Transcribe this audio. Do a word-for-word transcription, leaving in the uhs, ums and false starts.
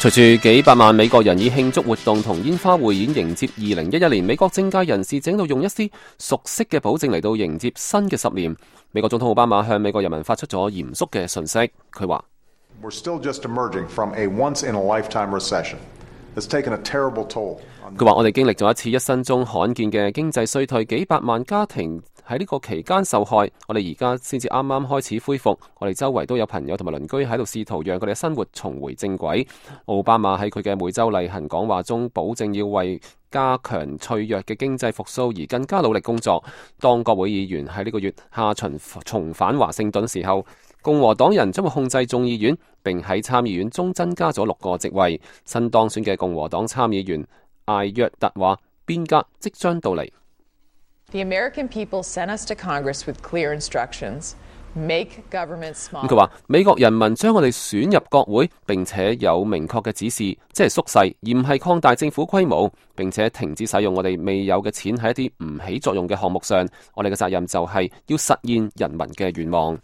隨住幾百萬美國人以慶祝活動同煙花匯演迎接二零一一年，美國政界人士正喺度用一絲熟悉嘅保證嚟到迎接新嘅十年。美國總統奧巴馬向美國人民發出咗嚴肅嘅訊息，佢話：We're still just emerging from a once-in-a-lifetime recession. It's taken a terrible toll. 佢話：我哋經歷咗一次一生中罕見嘅經濟衰退，幾百萬家庭喺呢個期間受害。我哋而家先至啱啱開始恢復，我哋周圍都有朋友同埋鄰居喺度試圖讓佢哋嘅生活重回正軌。奧巴馬喺佢嘅每週例行講話中，保證要為加強脆弱嘅經濟復甦而更加努力工作。當國會議員喺呢個月下旬重返華盛頓時候，共和黨人將會控制眾議院，並喺參議院中增加咗六個席位。新當選嘅共和黨參議員艾約特話：變革即將到嚟。The American people sent us to Congress with clear instructions. Make government small. 佢話：美國人民將我哋選入國會，並且有明確嘅指示，即係縮細，而唔係擴大政府規模，並且停止使用我哋未有嘅錢喺一啲唔起作用嘅項目上。我哋嘅責任就係要實現人民嘅願望。